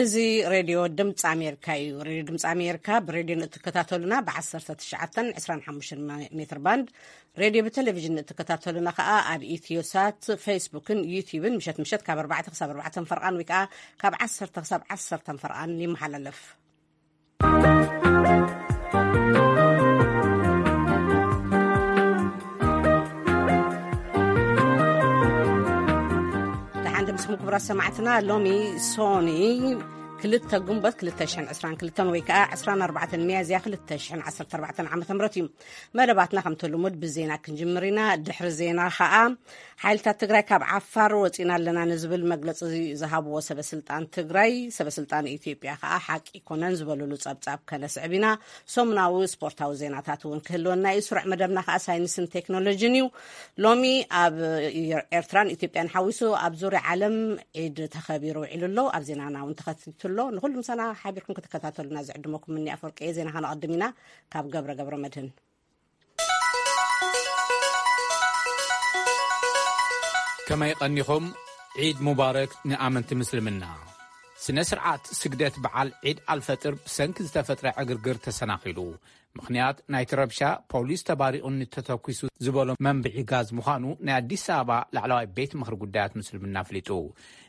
እዚ ሬድዮ ድምፂ ኣሜሪካ እዩ። ሬድዮ ድምፂ ኣሜሪካ ብሬድዮ ንእትከታተሉና ብ19፣ 25 ሜትር ባንድ፣ ሬድዮ ብቴሌቪዥን ንእትከታተሉና ከዓ ኣብ ኢትዮሳት፣ ፌስቡክን ዩቲዩብን ምሸት ምሸት ካብ ኣርባዕተ ክሳብ ኣርባዕተ ፈርቓን ወይ ከዓ ካብ ዓሰርተ ክሳብ ዓሰርተ ፈርቓን ይመሓላለፍ። ደሓን ድምስኩም ክቡራት ሰማዕትና፣ ሎሚ ሶኒ ክልተ ጉንበት ክልተ ሽሕን ዕስራን ክልተን ወይ ከዓ ዕስራን ኣርባዕተን ሚያዝያ ክልተ ሽሕን ዓሰርተ ኣርባዕተን ዓመተ ምህረት እዩ። መደባትና ከምቲ ልሙድ ብዜና ክንጅምር ኢና። ድሕሪ ዜና ከዓ ሓይልታት ትግራይ ካብ ዓፋር ወፂና ኣለና ንዝብል መግለፂ ዝሃብዎ ሰበ ስልጣን ትግራይ፣ ሰበ ስልጣን ኢትዮጵያ ከዓ ሓቂ ኣይኮነን ዝበሉሉ ጸብጻብ ከነስዕብ ኢና። ሰሙናዊ ስፖርታዊ ዜናታት እውን ክህልወና እዩ። ስሩዕ መደብና ከዓ ሳይንስን ቴክኖሎጂን እዩ። ሎሚ ኣብ ኤርትራን ኢትዮጵያን ሓዊሱ ኣብ ዙርያ ዓለም ዒድ ተኸቢሩ ውዒሉ ኣሎ። ኣብ ዜናና እውን ተኸቲቱ ኣሎ። ንኹሉ ምሳና ሓቢርኩም ክትከታተሉና ዝዕድመኩም ምኒ ኣፈወርቂ እየ። ዜና ከነቐድም ኢና ካብ ገብረ ገብረ መድህን። ከመይ ቀኒኹም? ዒድ ሙባረክ ንኣመንቲ ምስልምና። ስነ ስርዓት ስግደት በዓል ዒድ ኣልፈጥር ብሰንኪ ዝተፈጥረ ዕግርግር ተሰናኺሉ። ምኽንያት ናይቲ ረብሻ ፖሊስ ተባሪቑ ንተተኲሱ ዝበሎ መንብዒ ጋዝ ምዃኑ ናይ ኣዲስ ኣበባ ላዕለዋይ ቤት ምኽሪ ጉዳያት ምስልምና ኣፍሊጡ።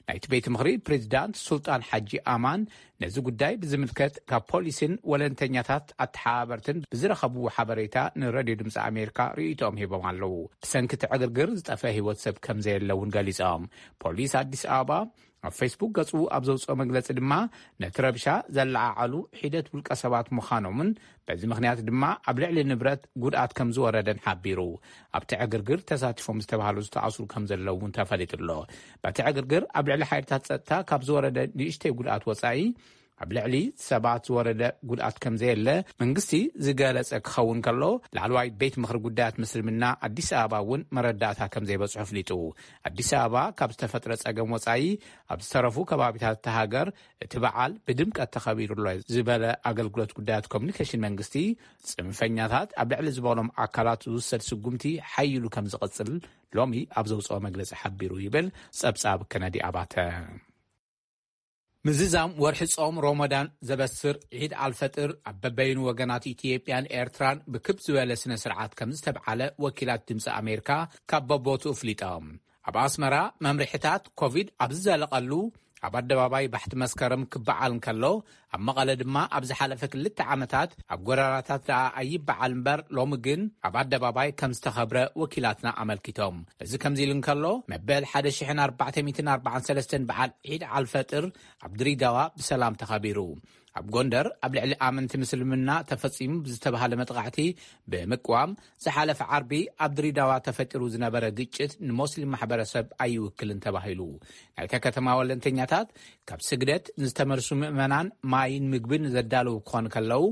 ናይቲ ቤት ምኽሪ ፕሬዚዳንት ሱልጣን ሓጂ ኣማን ነዚ ጉዳይ ብዝምልከት ካብ ፖሊስን ወለንተኛታት ኣተሓባበርትን ብዝረኸብዎ ሓበሬታ ንሬድዮ ድምፂ ኣሜሪካ ርእይቶኦም ሂቦም ኣለዉ። ብሰንኪ እቲ ዕግርግር ዝጠፍአ ህይወት ሰብ ከም ዘየለ እውን ገሊጾም። ፖሊስ ኣዲስ ኣበባ ኣብ ፌስቡክ ገጹ ኣብ ዘውፅኦ መግለጺ ድማ ነቲ ረብሻ ዘለዓዓሉ ሒደት ውልቀ ሰባት ምዃኖምን በዚ ምኽንያት ድማ ኣብ ልዕሊ ንብረት ጉድኣት ከም ዝወረደን ሓቢሩ። ኣብቲ ዕግርግር ተሳቲፎም ዝተባህሉ ዝተኣስሩ ከም ዘለዉ እውን ተፈሊጡ ኣሎ። በቲ ዕግርግር ኣብ ልዕሊ ሓይልታት ጸጥታ ካብ ዝወረደ ንእሽተይ ጉድኣት ወጻኢ ኣብ ልዕሊ ሰባት ዝወረደ ጉድኣት ከም ዘየለ መንግስቲ ዝገለጸ ክኸውን ከሎ፣ ላዕለዋይ ቤት ምኽሪ ጉዳያት ምስልምና ኣዲስ ኣበባ እውን መረዳእታ ከም ዘይበጽሖ ኣፍሊጡ። ኣዲስ ኣበባ ካብ ዝተፈጥረ ጸገም ወጻኢ ኣብ ዝተረፉ ከባቢታት እታ ሃገር እቲ በዓል ብድምቀት ተኸቢሩ ኣሎ ዝበለ ኣገልግሎት ጉዳያት ኮሙኒኬሽን መንግስቲ፣ ጽንፈኛታት ኣብ ልዕሊ ዝበሎም ኣካላት ዝውሰድ ስጉምቲ ሓይሉ ከም ዝቕጽል ሎሚ ኣብ ዘውፅኦ መግለጺ ሓቢሩ ይብል ጸብጻብ ከነዲ ኣባተ። ምዝዛም ወርሒ ጾም ሮሞዳን ዘበስር ዒድ ኣልፈጥር ኣብ በበይኑ ወገናት ኢትዮጵያን ኤርትራን ብክብ ዝበለ ስነ ስርዓት ከም ዝተብዓለ ወኪላት ድምፂ ኣሜሪካ ካብ በቦቱ ኣፍሊጦም። ኣብ ኣስመራ መምርሕታት ኮቪድ ኣብ ዝዘለቐሉ ኣብ ኣደባባይ ባሕቲ መስከረም ክበዓል እንከሎ፣ ኣብ መቐለ ድማ ኣብ ዝሓለፈ ክልተ ዓመታት ኣብ ጎደናታት ደኣ ኣይበዓል እምበር፣ ሎሚ ግን ኣብ ኣደባባይ ከም ዝተኸብረ ወኪላትና ኣመልኪቶም። እዚ ከምዚ ኢሉ እንከሎ፣ መበል ሓደ ሽሕን ኣርባዕተ ሚእትን ኣርባዓን ሰለስተን በዓል ዒድ ኣልፈጥር ኣብ ድሬዳዋ ብሰላም ተኸቢሩ። ኣብ ጎንደር ኣብ ልዕሊ ኣመንቲ ምስልምና ተፈጺሙ ብዝተባህለ መጥቓዕቲ ብምቅዋም፣ ዝሓለፈ ዓርቢ ኣብ ድሬዳዋ ተፈጢሩ ዝነበረ ግጭት ንሞስሊም ማሕበረሰብ ኣይውክልን ተባሂሉ። ናይታ ከተማ ወለንተኛታት ካብ ስግደት ንዝተመልሱ ምእመናን ማይን ምግብን ዘዳለዉ ክኾኑ ከለዉ፣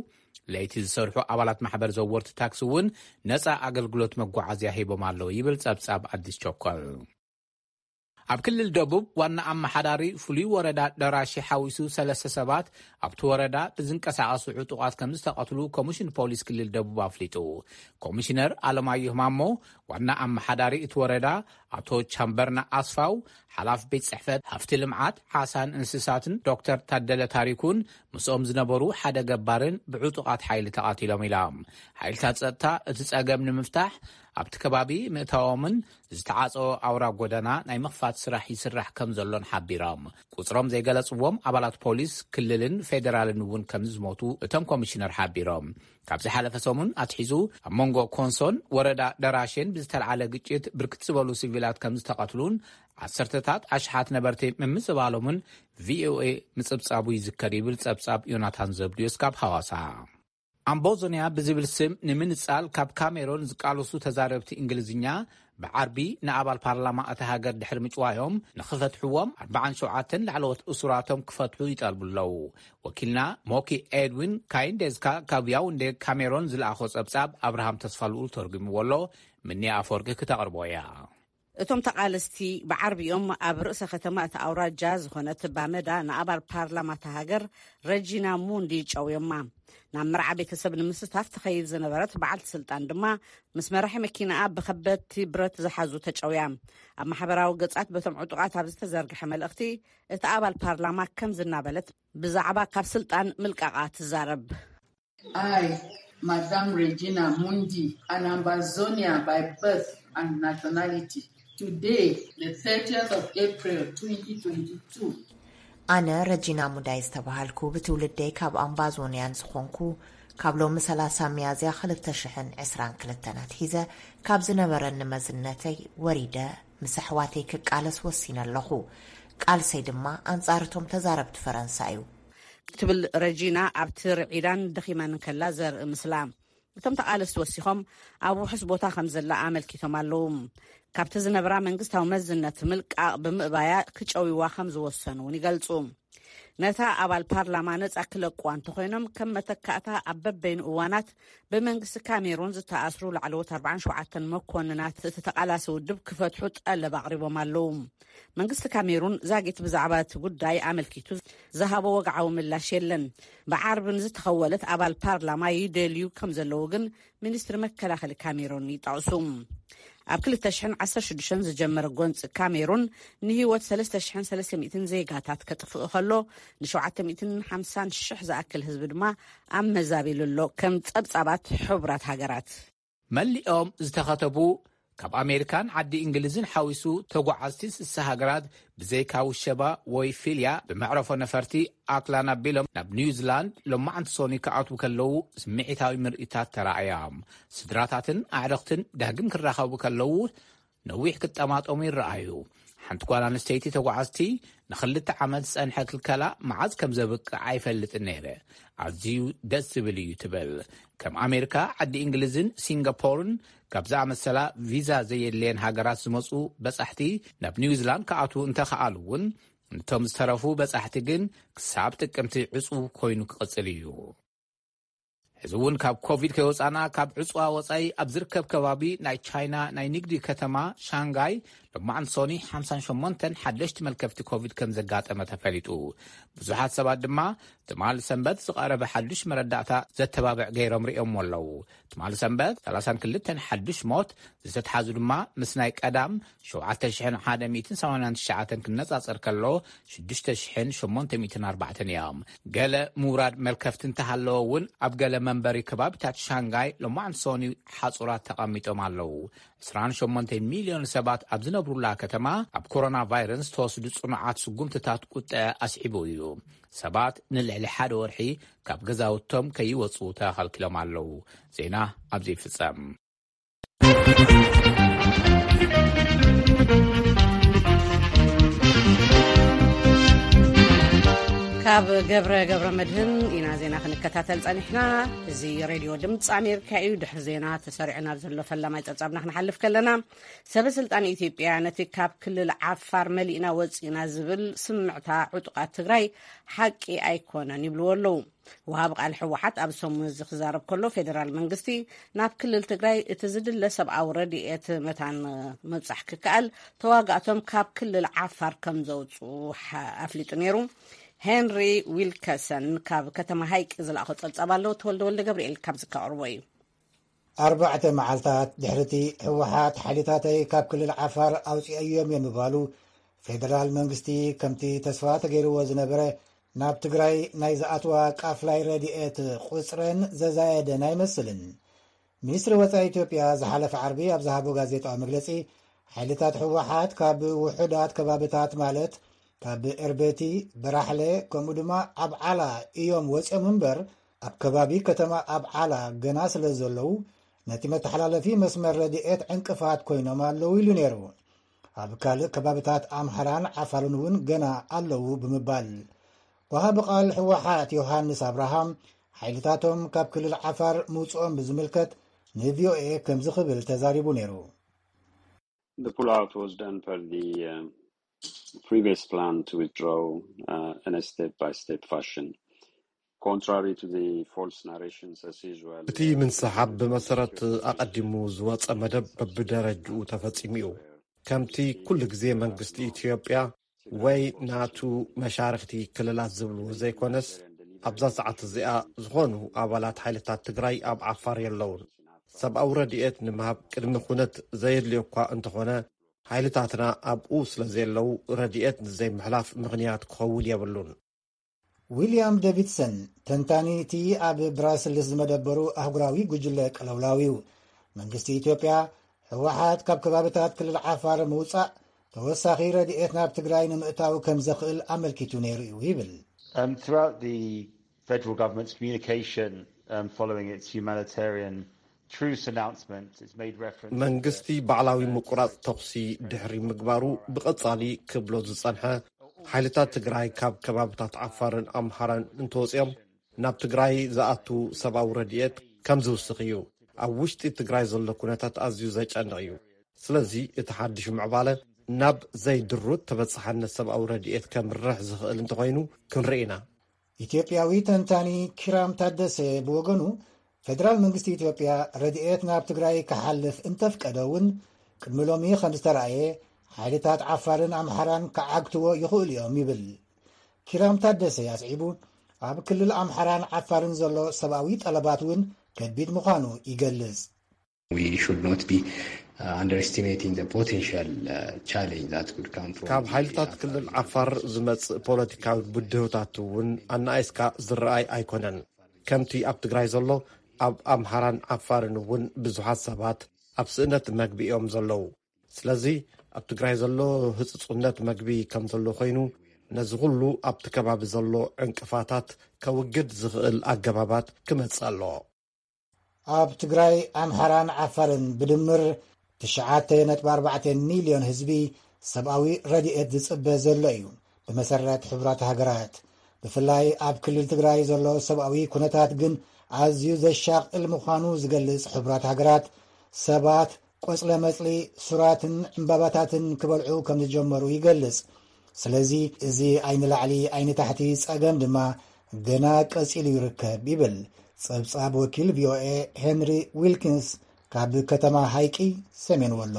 ለይቲ ዝሰርሑ ኣባላት ማሕበር ዘወርቲ ታክሲ እውን ነጻ ኣገልግሎት መጓዓዝያ ሂቦም ኣለዉ ይብል ጸብጻብ ኣዲስ ቸኮል። ኣብ ክልል ደቡብ ዋና ኣመሓዳሪ ፍሉይ ወረዳ ደራሼ ሓዊሱ ሰለስተ ሰባት ኣብቲ ወረዳ ብዝንቀሳቐሱ ዕጡቓት ከም ዝተቐትሉ ኮሚሽን ፖሊስ ክልል ደቡብ ኣፍሊጡ። ኮሚሽነር ኣለማየሁ ማሞ፣ ዋና ኣመሓዳሪ እቲ ወረዳ ኣቶ ቻምበርና ኣስፋው፣ ሓላፊ ቤት ጽሕፈት ሃፍቲ ልምዓት ዓሳን እንስሳትን ዶክተር ታደለ ታሪኩን ምስኦም ዝነበሩ ሓደ ገባርን ብዕጡቓት ሓይሊ ተቓቲሎም ኢሎም። ሓይልታት ጸጥታ እቲ ጸገም ንምፍታሕ ኣብቲ ከባቢ ምእታዎምን ዝተዓጸወ ኣውራ ጎደና ናይ ምኽፋት ስራሕ ይስራሕ ከም ዘሎን ሓቢሮም። ቁጽሮም ዘይገለጽዎም ኣባላት ፖሊስ ክልልን ፌደራልን እውን ከም ዝሞቱ እቶም ኮሚሽነር ሓቢሮም። ካብ ዝሓለፈ ሰሙን ኣትሒዙ ኣብ መንጎ ኮንሶን ወረዳ ደራሼን ብዝተልዓለ ግጭት ብርክት ዝበሉ ሲቪላት ከም ዝተቐትሉን ዓሰርተታት ኣሽሓት ነበርቲ ምምዝባሎምን ቪኦኤ ምጽብጻቡ ይዝከር ይብል ጸብጻብ ዮናታን ዘብድዮስ ካብ ሃዋሳ። ኣምቦዞንያ ብዝብል ስም ንምንጻል ካብ ካሜሮን ዝቃለሱ ተዛረብቲ እንግሊዝኛ ብዓርቢ ንኣባል ፓርላማ እታ ሃገር ድሕሪ ምጭዋዮም ንኽፈትሕዎም ኣርባዓን ሸውዓተን ላዕለዎት እሱራቶም ክፈትሑ ይጠልቡ ኣለዉ። ወኪልና ሞኪ ኤድዊን ካይንዴዝካ ካብ ያውንዴ ካሜሮን ዝለኣኾ ጸብጻብ ኣብርሃም ተስፋልኡል ተርጉምዎ ኣሎ። ምኒ ኣፈወርቂ ክተቕርቦ እያ። እቶም ተቓለስቲ ብዓርቢኦም ኣብ ርእሰ ከተማ እታ ኣውራጃ ዝኾነት ባመዳ ንኣባል ፓርላማ እታ ሃገር ረጂና ሙንዲ ጨውዮማ። ናብ መርዓ ቤተሰብ ንምስታፍ ትኸይድ ዝነበረት በዓልቲ ስልጣን ድማ ምስ መራሒ መኪናኣ ብኸበድቲ ብረት ዝሓዙ ተጨውያ። ኣብ ማሕበራዊ ገጻት በቶም ዕጡቓት ኣብ ዝተዘርግሐ መልእኽቲ፣ እቲ ኣባል ፓርላማ ከምዚ እናበለት ብዛዕባ ካብ ስልጣን ምልቃቓ ትዛረብ። I, Madame Regina Mundi, an Ambazonia by birth and nationality, today, the thirtieth of April, twenty twenty-two. ኣነ ረጂና ሙዳይ ዝተባሃልኩ፣ ብትውልደይ ካብ ኣምባዞንያን ዝኾንኩ፣ ካብ ሎሚ ሰላሳ ሚያዝያ ክልተ ሽሕን ዕስራን ክልተን ኣትሒዘ ካብ ዝነበረኒ መዝነተይ ወሪደ ምስ ኣሕዋተይ ክቃለስ ወሲነ ኣለኹ። ቃልሰይ ድማ ኣንጻር እቶም ተዛረብቲ ፈረንሳ እዩ። ትብል ረጂና ኣብቲ ርዒዳን ደኺማን ከላ ዘርኢ ምስላ። እቶም ተቓለስቲ ወሲኾም ኣብ ውሑስ ቦታ ከም ዘላ ኣመልኪቶም ኣለዉ። ካብቲ ዝነብራ መንግስታዊ መዝነት ምልቃቕ ብምእባያ ክጨውይዋ ከም ዝወሰኑ እውን ይገልጹ። ነታ ኣባል ፓርላማ ነጻ ክለቅዋ እንተኾይኖም፣ ከም መተካእታ ኣብ በበይኑ እዋናት ብመንግስቲ ካሜሩን ዝተኣስሩ ላዕለዎት ኣርባዓን ሸውዓተን መኮንናት እቲ ተቓላሲ ውድብ ክፈትሑ ጠለብ ኣቕሪቦም ኣለዉ። መንግስቲ ካሜሩን ዛጊት ብዛዕባ እቲ ጉዳይ ኣመልኪቱ ዝሃቦ ወግዓዊ ምላሽ የለን። ብዓርቢ ንዝተኸወለት ኣባል ፓርላማ ይደልዩ ከም ዘለዉ ግን ሚኒስትሪ መከላኸሊ ካሜሩን ይጠቕሱ። ኣብ ክልተ ሽሕን ዓሰርተ ሽዱሽተን ዝጀመረ ጎንፂ ካሜሩን ንህይወት ሰለስተ ሽሕን ሰለስተ ሚእትን ዜጋታት ከጥፍእ ከሎ፣ ንሸውዓተ ሚእትን ሓምሳን ሽሕ ዝኣክል ህዝቢ ድማ ኣብ መዛቢሉ ኣሎ፣ ከም ጸብጻባት ሕቡራት ሃገራት። መሊኦም ዝተኸተቡ ካብ ኣሜሪካን ዓዲ እንግሊዝን ሓዊሱ ተጓዓዝቲ ስሳ ሃገራት ብዘይካ ውሸባ ወይ ፊልያ ብመዕረፎ ነፈርቲ ኣክላንድ ኣቢሎም ናብ ኒውዚላንድ ሎማዓንቲ ሶኒ ክኣትዉ ከለዉ ስምዒታዊ ምርኢታት ተራእያ። ስድራታትን ኣዕርኽትን ዳግም ክራኸቡ ከለዉ ነዊሕ ክጠማጠሙ ይረኣዩ። ሓንቲ ጓል ኣንስተይቲ ተጓዓዝቲ ንኽልተ ዓመት ዝጸንሐ ክልከላ መዓዝ ከም ዘብቅዕ ኣይፈልጥን ነይረ። ኣዝዩ ደስ ዝብል እዩ ትብል። ከም ኣሜሪካ፣ ዓዲ እንግሊዝን ሲንጋፖርን ካብ ዝኣመሰላ ቪዛ ዘየድልየን ሃገራት ዝመጹ በጻሕቲ ናብ ኒውዚላንድ ክኣትዉ እንተኸኣሉ እውን፣ ነቶም ዝተረፉ በጻሕቲ ግን ክሳብ ጥቅምቲ ዕጹው ኮይኑ ክቕጽል እዩ። እዚ እውን ካብ ኮቪድ ከይወጻና ካብ ዕጽዋ ወጻኢ ኣብ ዝርከብ ከባቢ ናይ ቻይና ናይ ንግዲ ከተማ ሻንጋይ ሎማዓንቲ ሶኒ ሓምሳን ሸሞንተን ሓደሽቲ መልከፍቲ ኮቪድ ከም ዘጋጠመ ተፈሊጡ። ብዙሓት ሰባት ድማ ትማሊ ሰንበት ዝቐረበ ሓዱሽ መረዳእታ ዘተባብዕ ገይሮም ርእዮምዎ ኣለዉ። ትማሊ ሰንበት ሰላሳን ክልተን ሓዱሽ ሞት፣ ዝተትሓዙ ድማ ምስ ናይ ቀዳም ሸውዓተ ሽሕን ሓደ ሚእትን ሰማንያን ትሽዓተን ክነጻጸር ከሎ ሽዱሽተ ሽሕን ሸሞንተ ሚእትን ኣርባዕተን እዮም። ገለ ምውራድ መልከፍቲ እንተሃለወ እውን ኣብ ገለ መንበሪ ከባቢታት ሻንጋይ ሎማዓንቲ ሶኒ ሓጹራት ተቐሚጦም ኣለዉ። ዕስራን ሸሞንተ ሚልዮን ሰባት ኣብ ዝነብሩላ ከተማ ኣብ ኮሮና ቫይረስ ዝተወስዱ ጽኑዓት ስጉምትታት ቁጠዐ ኣስዒቡ እዩ። ሰባት ንልዕሊ ሓደ ወርሒ ካብ ገዛውቶም ከይወጹ ተኸልኪሎም ኣለዉ። ዜና ኣብዚ ይፍጸም። ካብ ገብረ ገብረ መድህን ኢና ዜና ክንከታተል ጸኒሕና። እዚ ሬድዮ ድምፂ ኣሜሪካ እዩ። ድሕሪ ዜና ተሰሪዑ ናብ ዘሎ ፈላማይ ጸብጻብና ክንሓልፍ ከለና፣ ሰበ ስልጣን ኢትዮጵያ ነቲ ካብ ክልል ዓፋር መሊእና ወፂእና ዝብል ስምዕታ ዕጡቓት ትግራይ ሓቂ ኣይኮነን ይብልዎ ኣለዉ። ወሃቢ ቃል ህወሓት ኣብ ሰሙን እዚ ክዛረብ ከሎ፣ ፌደራል መንግስቲ ናብ ክልል ትግራይ እቲ ዝድለ ሰብኣዊ ረድኤት መታን ምብጻሕ ክከኣል ተዋጋእቶም ካብ ክልል ዓፋር ከም ዘውፅኡ ሓ-፣ ኣፍሊጡ ነይሩ። ሄንሪ ዊልከሰን ካብ ከተማ ሃይቅ ዝለኣኾ ጸብጻብ ኣሎ። ተወልደ ወልደ ገብርኤል ካብዚ ከቕርቦ እዩ። ኣርባዕተ መዓልታት ድሕሪቲ ህወሓት ሓይልታተይ ካብ ክልል ዓፋር ኣውፂአዮም እዮም ምባሉ፣ ፌደራል መንግስቲ ከምቲ ተስፋ ተገይርዎ ዝነበረ ናብ ትግራይ ናይ ዝኣትዋ ቃፍላይ ረድኤት ቁፅረን ዘዛየደን ኣይመስልን። ሚኒስትሪ ወፃኢ ኢትዮጵያ ዝሓለፈ ዓርቢ ኣብ ዝሃቦ ጋዜጣዊ መግለፂ፣ ሓይልታት ህወሓት ካብ ውሑዳት ከባብታት ማለት ካብ ኤርቤቲ፣ በራሕለ፣ ከምኡ ድማ ኣብ ዓላ እዮም ወፂኦም እምበር፣ ኣብ ከባቢ ከተማ ኣብ ዓላ ገና ስለ ዘለዉ፣ ነቲ መተሓላለፊ መስመር ረድኤት ዕንቅፋት ኮይኖም ኣለዉ ኢሉ ነይሩ። ኣብ ካልእ ከባብታት ኣምሓራን ዓፋርን እውን ገና ኣለዉ ብምባል፣ ወሃቢ ቃል ህወሓት ዮሃንስ ኣብርሃም፣ ሓይልታቶም ካብ ክልል ዓፋር ምውፅኦም ብዝምልከት ንቪኦኤ ከምዚ ክብል ተዛሪቡ ነይሩ። The pullout was done per the, um, previous plan to withdraw, uh, on a step-by-step fashion. Contrary to the false narrations, as usual, እቲ ምንስሓብ ብመሰረት ኣቐዲሙ ዝወጸ መደብ በብደረጅኡ ተፈጺሙ እዩ። ከምቲ ኩሉ ግዜ መንግስቲ ኢትዮጵያ ወይ ናቱ መሻርኽቲ ክልላት ዝብልዎ ዘይኮነስ፣ ኣብዛ ሰዓት እዚኣ ዝኾኑ ኣባላት ሓይልታት ትግራይ ኣብ ዓፋር የለውን። ሰብኣዊ ረድኤት ንምሃብ ቅድሚ ኩነት ዘየድልዮ እኳ እንተኾነ፣ ሓይልታትና ኣብኡ ስለ ዘየለዉ ረድኤት ንዘይምሕላፍ ምኽንያት ክኸውን የብሉን። ዊልያም ዴቪድሰን፣ ተንታኒ እቲ ኣብ ብራስልስ ዝመደበሩ ኣህጉራዊ ጉጅለ ቀለውላው እዩ። መንግስቲ ኢትዮጵያ፣ ህወሓት ካብ ከባብታት ክልል ዓፋር ምውፃእ፣ ተወሳኺ ረድኤት ናብ ትግራይ ንምእታው ከም ዘኽእል ኣመልኪቱ ነይሩ እዩ ይብል። Um, throughout the federal government's communication um, following its humanitarian truce announcement, it's made reference to መንግስቲ ባዕላዊ ምቁራፅ ተኹሲ ድሕሪ ምግባሩ፣ ብቐጻሊ ክብሎ ዝጸንሐ፣ ሓይልታት ትግራይ ካብ ከባብታት ዓፋርን ኣምሓራን እንተወፂኦም ናብ ትግራይ ዝኣቱ ሰብኣዊ ረድኤት ከም ዝውስኽ እዩ። ኣብ ውሽጢ ትግራይ ዘሎ ኩነታት ኣዝዩ ዘጨንቕ እዩ። ስለዚ እቲ ሓድሽ ምዕባለ ናብ ዘይድሩት ተበጻሕነት ሰብኣዊ ረድኤት ከምርሕ ዝኽእል እንተኾይኑ ክንርኢ ኢና። ኢትዮጵያዊ ተንታኒ ኪራም ታደሰ ብወገኑ፣ ፌደራል መንግስቲ ኢትዮጵያ ረድኤት ናብ ትግራይ ክሓልፍ እንተፍቀደ እውን፣ ቅድሚ ሎሚ ከም ዝተረኣየ፣ ሓይልታት ዓፋርን ኣምሓራን ክዓግትዎ ይኽእሉ እዮም ይብል። ኪራም ታደሰ ኣስዒቡ፣ ኣብ ክልል ኣምሓራን ዓፋርን ዘሎ ሰብኣዊ ጠለባት እውን ከቢድ ምዃኑ ይገልጽ። We should not be uh, underestimating the potential uh, challenge that could come from ካብ ሓይልታት ክልል ዓፋር ዝመጽእ ፖለቲካዊ ብድሆታት እውን ኣናኣይስካ ዝረኣይ ኣይኮነን። ከምቲ ኣብ ትግራይ ዘሎ፣ ኣብ ኣምሓራን ዓፋርን እውን ብዙሓት ሰባት ኣብ ስእነት መግቢ እዮም ዘለዉ። ስለዚ ኣብ ትግራይ ዘሎ ህጽጹነት መግቢ ከም ዘሎ ኮይኑ፣ ነዚ ኩሉ ኣብቲ ከባቢ ዘሎ ዕንቅፋታት ከውግድ ዝኽእል ኣገባባት ክመጽእ ኣለዎ። ኣብ ትግራይ፣ ኣምሓራን ዓፋርን ብድምር ትሽዓተ ነጥቢ ኣርባዕተ ሚልዮን ህዝቢ ሰብኣዊ ረድኤት ዝጽበ ዘሎ እዩ። ብመሰረት ሕቡራት ሃገራት፣ ብፍላይ ኣብ ክልል ትግራይ ዘሎ ሰብኣዊ ኩነታት ግን ኣዝዩ ዘሻቕል ምዃኑ ዝገልጽ ሕቡራት ሃገራት፣ ሰባት ቆጽለ መጽሊ፣ ሱራትን ዕምባባታትን ክበልዑ ከም ዝጀመሩ ይገልጽ። ስለዚ፣ እዚ ኣይንላዕሊ ኣይንታሕቲ ጸገም ድማ ገና ቀጺሉ ይርከብ ይብል ጸብጻብ ወኪል ቪኦኤ ሄንሪ ዊልኪንስ ካብ ከተማ ሃይቂ፣ ሰሜን ወሎ።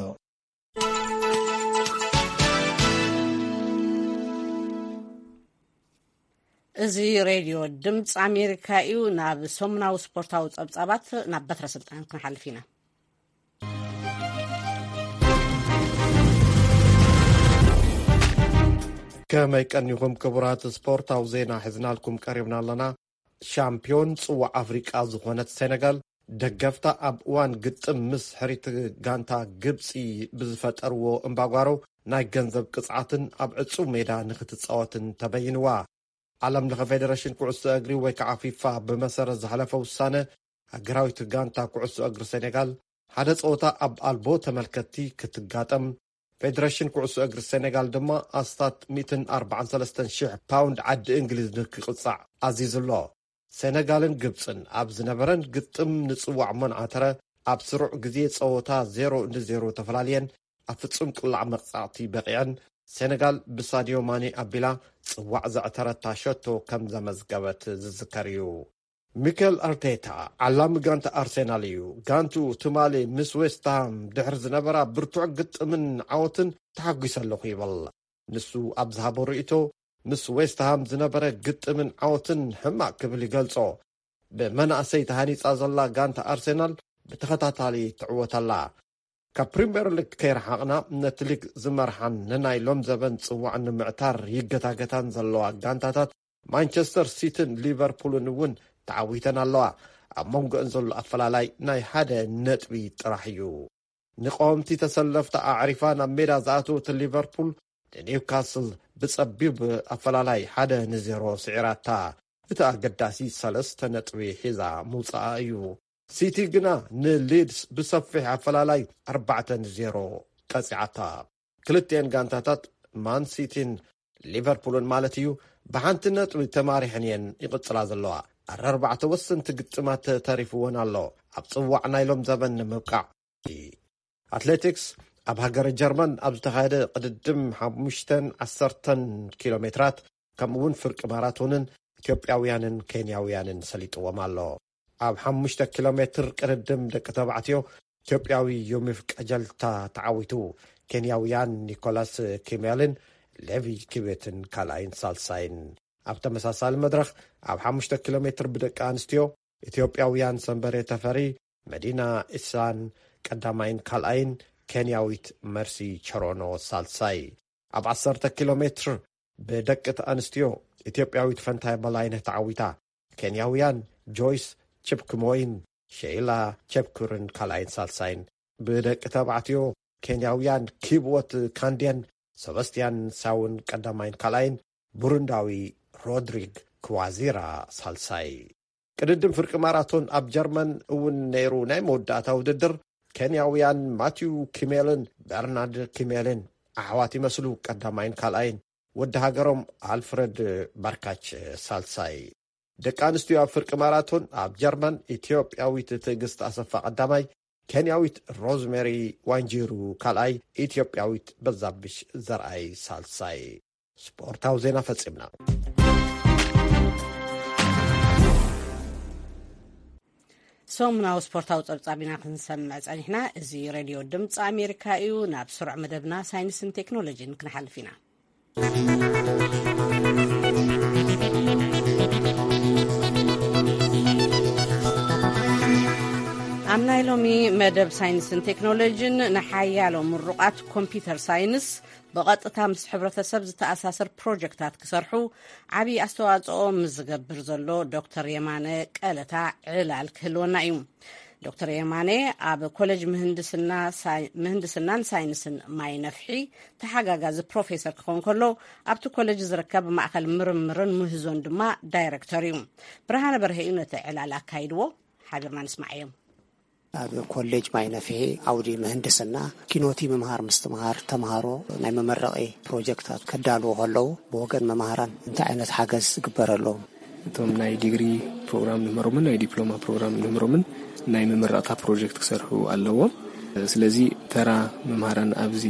እዚ ሬድዮ ድምፂ ኣሜሪካ እዩ። ናብ ሰሙናዊ ስፖርታዊ ጸብጻባት ናብ በትረ ስልጣን ክንሓልፍ ኢና። ከመይ ቀኒኹም ክቡራት፣ ስፖርታዊ ዜና ሒዝናልኩም ቀሪብና ኣለና። ሻምፒዮን ጽዋዕ ኣፍሪቃ ዝኾነት ሴነጋል፣ ደገፍታ ኣብ እዋን ግጥም ምስ ሕሪት ጋንታ ግብጺ ብዝፈጠርዎ እምባጓሮ፣ ናይ ገንዘብ ቅጽዓትን ኣብ ዕጹው ሜዳ ንኽትጻወትን ተበይንዋ። ዓለም ለኸ ፌደሬሽን ኩዕሶ እግሪ ወይ ከዓ ፊፋ ብመሰረት ዝሓለፈ ውሳነ፣ ሃገራዊት ጋንታ ኩዕሶ እግሪ ሴኔጋል ሓደ ጸወታ ኣብ ኣልቦ ተመልከትቲ ክትጋጠም፣ ፌደሬሽን ኩዕሶ እግሪ ሴኔጋል ድማ ኣስታት ሚእትን ኣርባዓን ሰለስተን ሽሕ ፓውንድ ዓዲ እንግሊዝ ንክቕጻዕ ኣዚዙ ኣሎ። ሴነጋልን ግብጽን ኣብ ዝነበረን ግጥም ንጽዋዕ መንዓተረ፣ ኣብ ስሩዕ ግዜ ጸወታ ዜሮ ንዜሮ ተፈላልየን፣ ኣብ ፍጹም ቅላዕ መቕጻዕቲ በቒዐን። ሴነጋል ብሳድዮ ማኔ ኣቢላ ጽዋዕ ዘዕተረታ ሸቶ ከም ዘመዝገበት ዝዝከር እዩ። ሚኬል ኣርቴታ፣ ዓላሚ ጋንታ ኣርሴናል እዩ። ጋንትኡ ትማሊ ምስ ዌስትሃም ድሕሪ ዝነበራ ብርቱዕ ግጥምን ዓወትን ተሓጒሰ ኣለኹ ይብል። ንሱ ኣብ ዝሃቦ ርእይቶ፣ ምስ ዌስትሃም ዝነበረ ግጥምን ዓወትን ሕማቕ ክብል ይገልጾ። ብመናእሰይ ተሃኒጻ ዘላ ጋንታ ኣርሴናል ብተኸታታሊ ትዕወት ኣላ። ካብ ፕሪምየር ሊግ ከይረሓቕና፣ ነቲ ሊግ ዝመርሓን ንናይ ሎም ዘበን ጽዋዕ ንምዕታር ይገታገታን ዘለዋ ጋንታታት ማንቸስተር ሲቲን ሊቨርፑልን እውን ተዓዊተን ኣለዋ። ኣብ መንጎአን ዘሎ ኣፈላላይ ናይ ሓደ ነጥቢ ጥራሕ እዩ። ንቀወምቲ ተሰለፍቲ ኣዕሪፋ ናብ ሜዳ ዝኣተወት ሊቨርፑል ንኒውካስል ብጸቢብ ኣፈላላይ ሓደ ንዜሮ ስዒራታ። እቲ ኣገዳሲ ሰለስተ ነጥቢ ሒዛ ምውጻኣ እዩ። ሲቲ ግና ንሊድስ ብሰፊሕ ኣፈላላይ ኣርባዕተ ንዜሮ ቀጺዓታ። ክልቲኤን ጋንታታት ማን ሲቲን ሊቨርፑልን ማለት እዩ፣ ብሓንቲ ነጥቢ ተማሪሐን እየን ይቕጽላ ዘለዋ። ኣረ ኣርባዕተ ወሰንቲ ግጥማት ተሪፍወን ኣሎ ኣብ ጽዋዕ ናይ ሎም ዘበን ንምብቃዕ። ኣትሌቲክስ፣ ኣብ ሃገረ ጀርመን ኣብ ዝተኻየደ ቅድድም ሓሙሽተን ዓሰርተን ኪሎ ሜትራት ከምኡ እውን ፍርቂ ማራቶንን ኢትዮጵያውያንን ኬንያውያንን ሰሊጥዎም ኣሎ። ኣብ ሓሙሽተ ኪሎ ሜትር ቅድድም ደቂ ተባዕትዮ ኢትዮጵያዊ ዮሚፍ ቀጀልታ ተዓዊቱ። ኬንያውያን ኒኮላስ ኪሜልን ሌቪ ኪቤትን ካልኣይን ሳልሳይን። ኣብ ተመሳሳሊ መድረኽ ኣብ ሓሙሽተ ኪሎ ሜትር ብደቂ ኣንስትዮ፣ ኢትዮጵያውያን ሰንበሬ ተፈሪ፣ መዲና ኢሳን ቀዳማይን ካልኣይን፣ ኬንያዊት መርሲ ቸሮኖ ሳልሳይ። ኣብ ዓሰርተ ኪሎ ሜትር ብደቂ ኣንስትዮ፣ ኢትዮጵያዊት ፈንታይ በላይነህ ተዓዊታ። ኬንያውያን ጆይስ ቺፕክሞይን ሼይላ ቸፕኩርን ካልኣይን ሳልሳይን። ብደቂ ተባዕትዮ፣ ኬንያውያን ኪብወት ካንዴን ሰባስቲያን ሳውን ቀዳማይን ካልኣይን፣ ቡሩንዳዊ ሮድሪግ ክዋዚራ ሳልሳይ። ቅድድም ፍርቂ ማራቶን ኣብ ጀርመን እውን ነይሩ። ናይ መወዳእታ ውድድር፣ ኬንያውያን ማቲው ኪሜልን በርናርድ ኪሜልን ኣሕዋት ይመስሉ፣ ቀዳማይን ካልኣይን፣ ወዲ ሃገሮም ኣልፍረድ ባርካች ሳልሳይ። ደቂ ኣንስትዮ ኣብ ፍርቂ ማራቶን ኣብ ጀርመን፣ ኢትዮጵያዊት ትዕግስት ኣሰፋ ቀዳማይ፣ ኬንያዊት ሮዝሜሪ ዋንጂሩ ካልኣይ፣ ኢትዮጵያዊት በዛብሽ ዘርኣይ ሳልሳይ። ስፖርታዊ ዜና ፈጺምና። ሰሙናዊ ስፖርታዊ ጸብጻብ ኢና ክንሰምዕ ጸኒሕና። እዚ ሬድዮ ድምፂ ኣሜሪካ እዩ። ናብ ስሩዕ መደብና ሳይንስን ቴክኖሎጂን ክንሓልፍ ኢና። ኣብ ናይ ሎሚ መደብ ሳይንስን ቴክኖሎጂን፣ ንሓያሎ ምሩቓት ኮምፒውተር ሳይንስ ብቐጥታ ምስ ሕብረተሰብ ዝተኣሳሰር ፕሮጀክታት ክሰርሑ ዓብዪ ኣስተዋፅኦ ምስ ዝገብር ዘሎ ዶክተር የማነ ቀለታ ዕላል ክህልወና እዩ። ዶክተር የማነ ኣብ ኮሌጅ ምህንድስና ሳይ-፣ ምህንድስናን ሳይንስን ማይ ነፍሒ ተሓጋጋዚ ፕሮፌሰር ክኸውን ከሎ፣ ኣብቲ ኮሌጅ ዝርከብ ማእኸል ምርምርን ምህዞን ድማ ዳይሬክተር እዩ። ብርሃነ በርሀ እዩ ነቲ ዕላል ኣካይድዎ። ሓቢርና ንስማዓዮም። ኣብ ኮሌጅ ማይ ነፍሒ ዓውዲ ምህንድስና ኪኖቲ ምምሃር ምስትምሃር ተምሃሮ ናይ መመረቒ ፕሮጀክታት ከዳልዉ ከለዉ፣ ብወገን መምሃራን እንታይ ዓይነት ሓገዝ ዝግበረሎም? እቶም ናይ ዲግሪ ፕሮግራም ንምህሮምን ናይ ዲፕሎማ ፕሮግራም ንምህሮምን ናይ መመረቕታ ፕሮጀክት ክሰርሑ ኣለዎም። ስለዚ ተራ መምሃራን ኣብዚ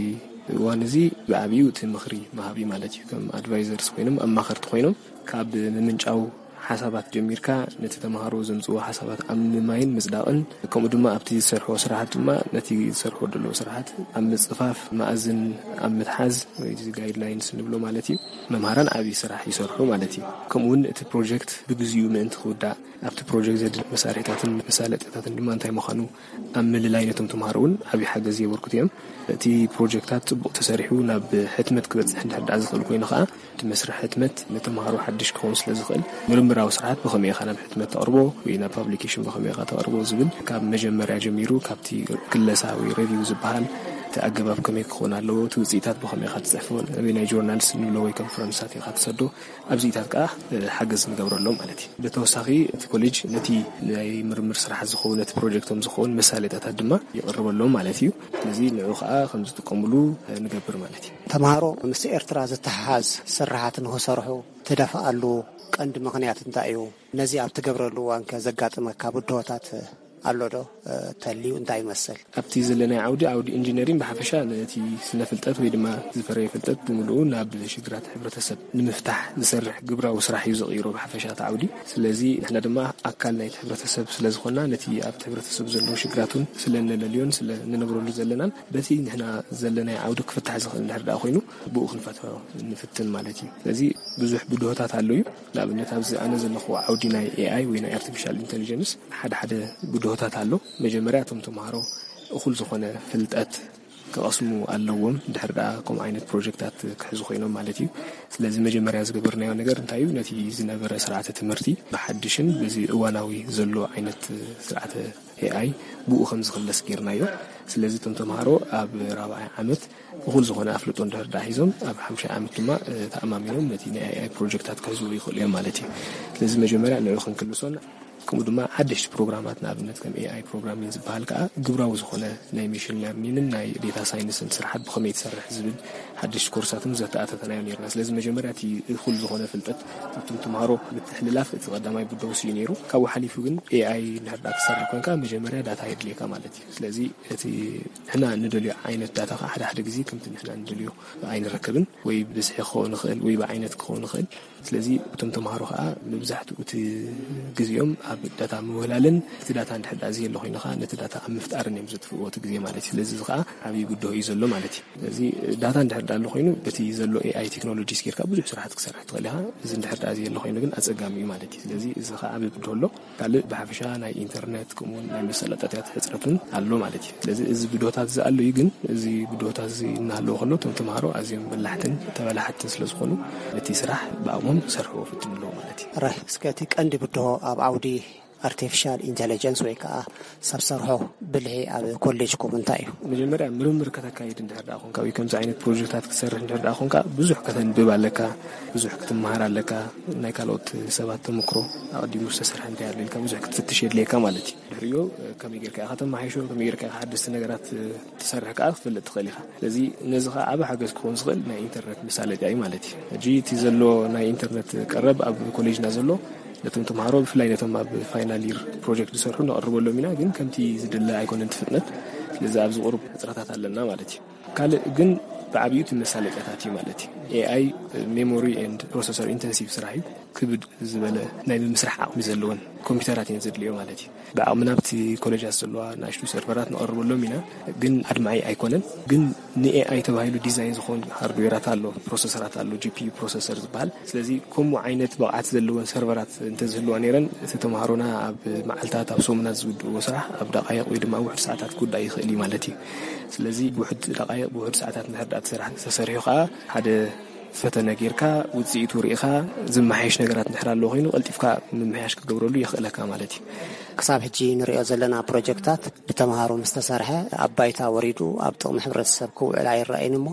እዋን እዚ ብዓብዩ እቲ ምኽሪ መሃቢ ማለት እዩ። ከም ኣድቫይዘርስ ኮይኖም፣ ኣማኸርቲ ኮይኖም፣ ካብ ምምንጫው ሓሳባት ጀሚርካ፣ ነቲ ተምሃሮ ዘምጽዎ ሓሳባት ኣብ ምማይን ምጽዳቕን፣ ከምኡ ድማ ኣብቲ ዝሰርሕዎ ስራሓት ድማ ነቲ ዝሰርሕዎ ዘለዉ ስራሓት ኣብ ምጽፋፍ፣ መኣዝን ኣብ ምትሓዝ፣ ወይ እዚ ጋይድላይንስ ንብሎ ማለት እዩ፣ መምሃራን ዓብዪ ስራሕ ይሰርሑ ማለት እዩ። ከምኡ እውን እቲ ፕሮጀክት ብግዚኡ ምእንቲ ክውዳእ፣ ኣብቲ ፕሮጀክት ዘድሊ መሳርሒታትን መሳለጥታትን ድማ እንታይ ምዃኑ ኣብ ምልላይ ነቶም ተምሃሮ እውን ዓብዪ ሓገዝ የበርክቱ እዮም። እቲ ፕሮጀክታት ጽቡቕ ተሰሪሑ ናብ ሕትመት ክበጽሕ እንድሕር ደኣ ዝኽእል ኮይኑ ከኣ፣ እቲ መስርሕ ሕትመት ንተምሃሮ ሓድሽ ክኸውን ስለ ዝኽእል፣ ምርምራዊ ስርሓት ብኸመይ ኢኻ ናብ ሕትመት ተቕርቦ ወይ ናብ ፓብሊኬሽን ብኸመይ ኢኻ ተቕርቦ ዝብል ካብ መጀመርያ ጀሚሩ፣ ካብቲ ክለሳ ወይ ሬቪው ዝበሃል፣ እቲ ኣገባብ ከመይ ክኸውን ኣለዎ፣ እቲ ውጽኢታት ብኸመይ ኢኻ ትጽሕፎ፣ ናበይ ናይ ጆርናልስ ንብሎ ወይ ኮንፈረንሳት ኢኻ ትሰዶ፣ ኣብዚታት ከኣ፣ እ፣ ሓገዝ ንገብረሎም ማለት እዩ። ብተወሳኺ እቲ ኮሌጅ ነቲ ናይ ምርምር ስራሓት ዝኸውን፣ ነቲ ፕሮጀክቶም ዝኸውን መሳለጥያታት ድማ ይቕርበሎም ማለት እዩ። ስለዚ ንዑ ከኣ ከም ዝጥቀሙሉ፣ እ፣ ንገብር ማለት እዩ። ተምሃሮ ምስ ኤርትራ ዝተሓሓዝ ስራሓት ንኽሰርሑ ትደፍኣሉ ቀንዲ ምኽንያት እንታይ እዩ? ነዚ ኣብ ትገብረሉ እዋን ከ ዘጋጥመካ ብድሆታት ኣሎ ዶ? እ፣ ተልዩ እንታይ ይመስል? ኣብቲ ዘለናይ ዓውዲ፣ ዓውዲ ኢንጂነሪንግ ብሓፈሻ ነቲ ስነ ፍልጠት ወይ ድማ ዝፈረየ ፍልጠት ብምልኡ ናብ ሽግራት ሕብረተሰብ ንምፍታሕ ዝሰርሕ ግብራዊ ስራሕ እዩ ዘቕይሮ ብሓፈሻ እቲ ዓውዲ። ስለዚ ንሕና ድማ ኣካል ናይቲ ሕብረተሰብ ስለ ዝኾንና፣ ነቲ ኣብቲ ሕብረተሰብ ዘለዉ ሽግራት እውን ስለ እነለልዮን ስለ እንነብረሉ ዘለናን፣ በቲ ንሕና ዘለናይ ዓውዲ ክፍታሕ ዝኽእል እንድሕር ደኣ ኮይኑ፣ ብኡ ክንፈትሖ ንፍትን ማለት እዩ። ስለዚ ብዙሕ ብድሆታት ኣሎ እዩ። ንኣብነት፣ ኣብዚ ኣነ ዘለኹዎ ዓውዲ ናይ ኤ ኣይ ወይ ናይ ኣርቲፊሻል ኢንተሊጀንስ ሓደ ሓደ ብድሆታት ኣሎ። መጀመርያ፣ እቶም ተምሃሮ እኹል ዝኾነ ፍልጠት ክቐስሙ ኣለዎም፣ ድሕሪ ደኣ ከምኡ ዓይነት ፕሮጀክታት ክሕዙ ኮይኖም ማለት እዩ። ስለዚ መጀመርያ ዝገበርናዮ ነገር እንታይ እዩ? ነቲ ዝነበረ ስርዓተ ትምህርቲ ብሓድሽን በዚ እዋናዊ ዘሎ ዓይነት ስርዓተ ኤ ኣይ ብኡ ከም ዝኽለስ ጌርናዮ። ስለዚ እቶም ተምሃሮ ኣብ ራብዓይ ዓመት እኹል ዝኾነ ኣፍልጦ እንድሕር ደኣ ሒዞም፣ ኣብ ሓሙሻይ ዓመት ድማ፣ እ፣ ተኣማሚኖም ነቲ ናይ ኤ ኣይ ፕሮጀክታት ክሕዝዎ ይኽእሉ እዮም ማለት እዩ። ስለዚ መጀመርያ ንዑ ክንክልሶን፣ ከምኡ ድማ ሓደሽቲ ፕሮግራማት፣ ንኣብነት ከም ኤ ኣይ ፕሮግራሚንግ ዝበሃል ከኣ ግብራዊ ዝኾነ ናይ ሚሽን ለርኒንግን ናይ ዴታ ሳይንስን ስራሓት ብኸመይ ትሰርሕ ዝብል ሓደሽቲ ኮርሳትን ዘተኣታተናዮ ነይርና። ስለዚ መጀመርያ እቲ እኹል ዝኾነ ፍልጠት እቶም ተምሃሮ ምትሕልላፍ እቲ ቀዳማይ ብደውሲ እዩ ነይሩ። ካብኡ ሓሊፉ ግን ኤ ኣይ እንድሕር ደኣ ክትሰርሕ ኮንካ መጀመርያ ዳታ የድልየካ ማለት እዩ። ስለዚ እቲ ንሕና እንደልዮ ዓይነት ዳታ ከዓ ሓደ ሓደ ግዜ ከምቲ ንሕና እንደልዮ ኣይንረክብን፣ ወይ ብብዝሒ ክኸውን ይኽእል ወይ ብዓይነት ክኸውን ይኽእል። ስለዚ እቶም ተምሃሮ ከዓ መብዛሕትኡ እቲ ግዜኦም ኣብ ዳታ ምውህላልን እቲ ዳታ እንድሕር ዳኣ ዘየሎ ኮይኑ ከዓ ነቲ ዳታ ኣብ ምፍጣርን እዮም ዘጥፍእዎ እቲ ግዜ ማለት እዩ። ስለዚ እዚ ከዓ ዓብዪ ብድሆ እዩ ዘሎ ማለት እዩ። ስለዚ ዳታ እንድሕር ዳኣ ኣሎ ኮይኑ በቲ ዘሎ ኤኣይ ቴክኖሎጂስ ጌርካ ብዙሕ ስራሕቲ ክሰርሕ ትኽእል ኢኻ። እዚ እንድሕር ዳኣ ዘየሎ ኮይኑ ግን ኣጸጋሚ እዩ ማለት እዩ። ስለዚ እዚ ከዓ ዓብዪ ብድሆ ኣሎ። ካልእ ብሓፈሻ ናይ ኢንተርነት ከምኡውን ናይ መሰላጠጥያት ሕፅረት እውን ኣሎ ማለት እዩ። ስለዚ እዚ ብድሆታት እዚ ኣሎ እዩ፣ ግን እዚ ብድሆታት እዚ እናሃለዎ ከሎ እቶም ተምሃሮ ኣዝዮም በላሕትን ተበላሓትን ስለ ዝኾኑ ነቲ ስራሕ ብኣቕሞም ክሰርሕዎ ፈትኑ ኣለዎ ማለት እዩ። ራይ እስከ እቲ ቀንዲ ብድሆ ኣብ ዓውዲ ኣርቲፊሻል ኢንቴሊጀንስ ወይ ከዓ ሰብ ሰርሖ ብልሒ ኣብ ኮሌጅኩም እንታይ እዩ? መጀመርያ ምርምር ከተካይድ እንድሕር ደኣ ኮንካ ወይ ከምዚ ዓይነት ፕሮጀክታት ክትሰርሕ እንድሕር ደኣ ኮንካ ብዙሕ ከተንብብ ኣለካ፣ ብዙሕ ክትመሃር ኣለካ፣ ናይ ካልኦት ሰባት ተመክሮ ኣቐዲሙ ዝተሰርሐ እንታይ ኣሎ ኢልካ ብዙሕ ክትፍትሽ የድልየካ ማለት እዩ። ድሕሪኡ ከመይ ጌርካ ኢኻ ከተመሓይሾ፣ ከመይ ጌርካ ኢኻ ሓደስቲ ነገራት ትሰርሕ ከዓ ክትፈልጥ ትኽእል ኢኻ። ስለዚ ነዚ ከዓ ዓቢ ሓገዝ ክኸውን ዝኽእል ናይ ኢንተርነት መሳለጥያ እዩ ማለት እዩ። ሕጂ እቲ ዘሎ ናይ ኢንተርነት ቀረብ ኣብ ኮሌጅና ዘሎ ነቶም ተምሃሮ ብፍላይ ነቶም ኣብ ፋይናል ይር ፕሮጀክት ዝሰርሑ ነቕርበሎም ኢና፣ ግን ከምቲ ዝድለ ኣይኮነን እቲ ፍጥነት። ስለዚ ኣብዚ ቁሩብ ሕፅረታት ኣለና ማለት እዩ። ካልእ ግን ብዓብዩ እቲ መሳለጥያታት እዩ ማለት እዩ። ኤኣይ ሜሞሪ ኤንድ ፕሮሰሰር ኢንተንሲቭ ስራሕ እዩ። ክብድ ዝበለ ናይ ምምስራሕ ዓቕሚ ዘለወን ኮምፒውተራት እየን ዘድልዮ ማለት እዩ። ብዓቕምና ኣብቲ ኮሌጃት ዘለዋ ንኣሽቱ ሰርቨራት ነቕርበሎም ኢና፣ ግን ኣድማዒ ኣይኮነን። ግን ንኤኣይ ተባሂሉ ዲዛይን ዝኾን ሃርድዌራት ኣሎ፣ ፕሮሰሰራት ኣሎ፣ ጂፒዩ ፕሮሰሰር ዝበሃል። ስለዚ ከምኡ ዓይነት ብቕዓት ዘለወን ሰርቨራት እንተዝህልዋ ነይረን እቲ ተምሃሮና ኣብ መዓልታት ኣብ ሰሙናት ዝውድእዎ ስራሕ ኣብ ደቃይቕ ወይ ድማ ውሑድ ሰዓታት ክውዳእ ይኽእል እዩ ማለት እዩ። ስለዚ ብውሑድ ደቃይቕ ብውሑድ ሰዓታት እንድሕር ደኣ እቲ ስራሕ ተሰሪሑ ከዓ ሓደ ፈተነ ጌርካ ውፅኢቱ ርኢኻ ዝመሓየሽ ነገራት እንድሕር ኣለዎ ኮይኑ ቀልጢፍካ ምምሕያሽ ክትገብረሉ የኽእለካ ማለት እዩ። ክሳብ ሕጂ ንሪኦ ዘለና ፕሮጀክታት ብተምሃሮ ምስ ተሰርሐ ኣብ ባይታ ወሪዱ ኣብ ጥቕሚ ሕብረተሰብ ክውዕል ኣይረኣይን እሞ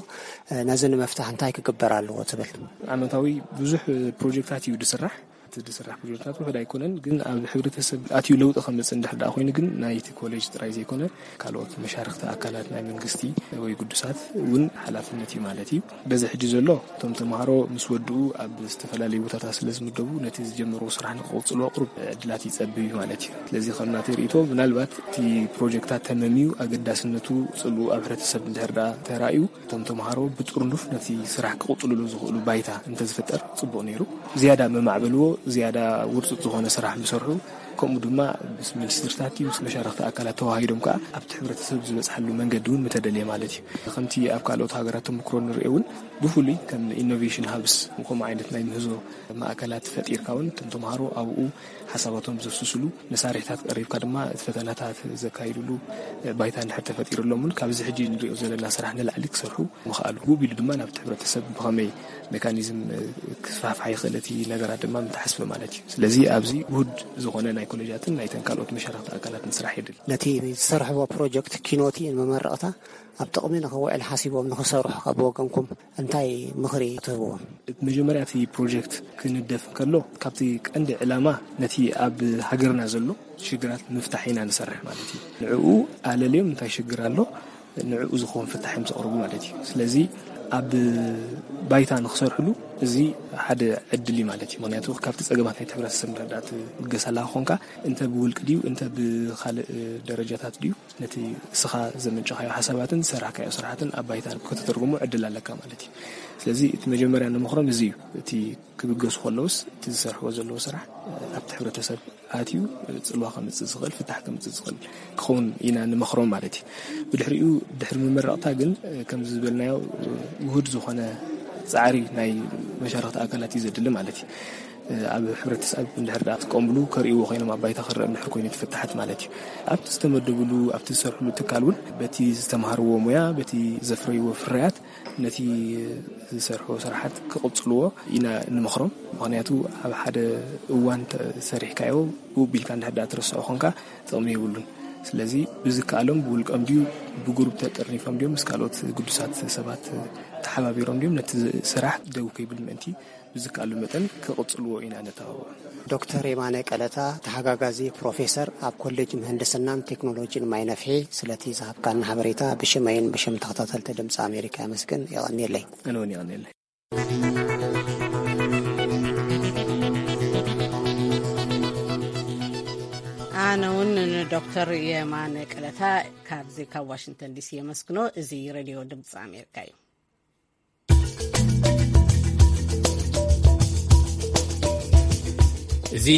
ነዚ ንምፍታሕ እንታይ ክግበር ኣለዎ ትብል? ዓመታዊ ብዙሕ ፕሮጀክታት እዩ ዝስራሕ። እቲ ዝስራሕ ፕሮጀክታት ውሑድ ኣይኮነን፣ ግን ኣብ ሕብረተሰብ ኣትዩ ለውጢ ከምፅእ እንድሕር ደኣ ኮይኑ ግን ናይቲ ኮሌጅ ጥራይ ዘይኮነ ካልኦት መሻርክቲ ኣካላት ናይ መንግስቲ ወይ ግዱሳት እውን ሓላፍነት እዩ ማለት እዩ። በዚ ሕጂ ዘሎ እቶም ተምሃሮ ምስ ወድኡ ኣብ ዝተፈላለዩ ቦታታት ስለ ዝምደቡ ነቲ ዝጀመርዎ ስራሕ ንክቕፅልዎ ቁሩብ ዕድላት ይፀብብ እዩ ማለት እዩ። ስለዚ ከም ናተይ ርእይቶ ምናልባት እቲ ፕሮጀክታት ተመምዩ ኣገዳስነቱ ፅልኡ ኣብ ሕብረተሰብ እንድሕር ደኣ ተራእዩ እቶም ተምሃሮ ብጥርኑፍ ነቲ ስራሕ ክቕፅልሉ ዝኽእሉ ባይታ እንተዝፍጠር ፅቡቕ ነይሩ። ዝያዳ መማዕበልዎ ዝያዳ ውርፁፅ ዝኾነ ስራሕ ምሰርሑ ከምኡ ድማ ምስ ሚኒስትርታት ምስ መሻርክቲ ኣካላት ተዋሂዶም ከዓ ኣብቲ ሕብረተሰብ ዝበፅሓሉ መንገዲ እውን ምተደልየ ማለት እዩ። ከምቲ ኣብ ካልኦት ሃገራት ተምክሮ ንሪኦ እውን ብፍሉይ ከም ኢኖቬሽን ሃብስ ከምኡ ዓይነት ናይ ምህዞ ማእከላት ፈጢርካ እውን እቶም ተምሃሮ ኣብኡ ሓሳባቶም ዘፍስስሉ መሳርሕታት ቀሪብካ ድማ እቲ ፈተናታት ዘካይድሉ ባይታ እንድሕር ተፈጢሩሎም እውን ካብዚ ሕጂ ንሪኦ ዘለና ስራሕ ንላዕሊ ክሰርሑ ምኽኣሉ ውብ ኢሉ ድማ ናብቲ ሕብረተሰብ ብኸመይ ሜካኒዝም ክስፋሕፋሕ ይኽእል እቲ ነገራት ድማ ምተሓስበ ማለት እዩ። ስለዚ ኣብዚ ውሁድ ዝኾነ ናይ ኮሌጃትን ናይተን ካልኦት መሻርክቲ ኣካላትን ስራሕ የድሊ። ነቲ ዝሰርሕዎ ፕሮጀክት ኪኖቲ ንመመረቕታ ኣብ ጥቕሚ ንኽውዕል ሓሲቦም ንኽሰርሑ ካብ ወገንኩም እንታይ ምኽሪ ትህብዎም? መጀመርያ እቲ ፕሮጀክት ክንደፍ እንከሎ ካብቲ ቀንዲ ዕላማ ነቲ ኣብ ሃገርና ዘሎ ሽግራት ምፍታሕ ኢና ንሰርሕ ማለት እዩ። ንዕኡ ኣለልዮም እንታይ ሽግር ኣሎ ንዕኡ ዝኸውን ፍታሕ እዮም ዘቕርቡ ማለት እዩ። ስለዚ ኣብ ባይታ ንክሰርሕሉ እዚ ሓደ ዕድል እዩ ማለት እዩ። ምክንያቱ ካብቲ ፀገማት ናይቲ ሕብረተሰብ ምርዳእ ትብገስ ኣለካ ኮንካ እንተ ብውልቂ ድዩ እንተ ብካልእ ደረጃታት ድዩ ነቲ እስኻ ዘመንጨኻዮ ሓሳባትን ዝሰራሕካዮ ስራሕትን ኣብ ባይታ ከተተርጉሞ ዕድል ኣለካ ማለት እዩ። ስለዚ እቲ መጀመርያ ንምኽሮም እዚ እዩ። እቲ ክብገሱ ከለውስ እቲ ዝሰርሕዎ ዘለዉ ስራሕ ኣብቲ ሕብረተሰብ ኣትዩ ፅልዋ ከምፅእ ዝኽእል ፍታሕ ከምፅእ ዝኽእል ክኸውን ኢና ንመኽሮም ማለት እዩ። ብድሕሪኡ ድሕሪ ምምረቕታ ግን ከምዚ ዝበልናዮ ውሁድ ዝኾነ ፃዕሪ ናይ መሻርክቲ ኣካላት እዩ ዘድሊ ማለት እዩ። ኣብ ሕብረተሰብ እንድሕር ደኣ ክጥቀምሉ ከርእይዎ ኮይኖም ኣብ ባይታ ክረአ እንድሕር ኮይኑ ትፍታሓት ማለት እዩ። ኣብቲ ዝተመደብሉ ኣብቲ ዝሰርሕሉ ትካል እውን በቲ ዝተምሃርዎ ሙያ በቲ ዘፍረይዎ ፍርያት ነቲ ዝሰርሕዎ ስራሓት ክቕፅልዎ ኢና ንምኽሮም። ምኽንያቱ ኣብ ሓደ እዋን ሰሪሕካዮ ውብ ኢልካ እንድሕር ደኣ ትረስዖ ኮንካ ጥቕሚ የብሉን። ስለዚ ብዝከኣሎም ብውልቀም ድዩ ብጉሩብ ተጠርኒፎም ድዮም ምስ ካልኦት ግዱሳት ሰባት ተሓባቢሮም ድዮም ነቲ ስራሕ ደው ከይብል ምእንቲ ብዝከኣሉ መጠን ክቕፅልዎ ኢና ነተባብዖ። ዶክተር የማነ ቀለታ ተሓጋጋዚ ፕሮፌሰር ኣብ ኮሌጅ ምህንድስናን ቴክኖሎጂን ማይ ነፍሒ ስለቲ ዝሃብካና ሓበሬታ ብሽመይን ብሽም ተኸታተልቲ ድምፂ ኣሜሪካ የመስግን። የቐንየለይ። ኣነ እውን የቐንየለይ። ኣነ እውን ንዶክተር የማነ ቀለታ ካብዚ ካብ ዋሽንግተን ዲሲ የመስግኖ። እዚ ሬድዮ ድምፂ ኣሜሪካ እዩ። እዚ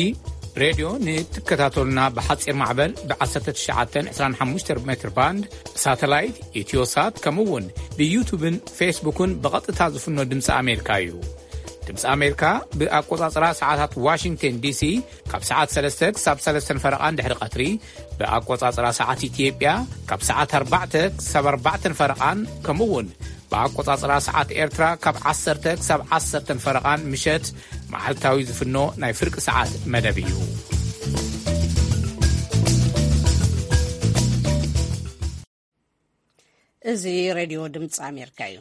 ሬድዮ ንትከታተሉና ብሓጺር ማዕበል ብ19 25 ሜትር ባንድ፣ ሳተላይት፣ ኢትዮሳት፣ ከምኡ እውን ብዩቱብን ፌስቡክን ብቐጥታ ዝፍኖ ድምፂ ኣሜሪካ እዩ። ድምፂ ኣሜሪካ ብኣቆጻጽራ ሰዓታት ዋሽንግተን ዲሲ ካብ ሰዓት 3 ክሳብ 3 ፈረቓን ድሕሪ ቀትሪ፣ ብኣቆጻጽራ ሰዓት ኢትዮጵያ ካብ ሰዓት 4 ክሳብ 4 ፈረቓን፣ ከምኡ እውን ብኣቆጻጽራ ሰዓት ኤርትራ ካብ 10 ክሳብ 10 ፈረቓን ምሸት መዓልታዊ ዝፍኖ ናይ ፍርቂ ሰዓት መደብ እዩ። እዚ ሬድዮ ድምፂ ኣሜሪካ እዩ።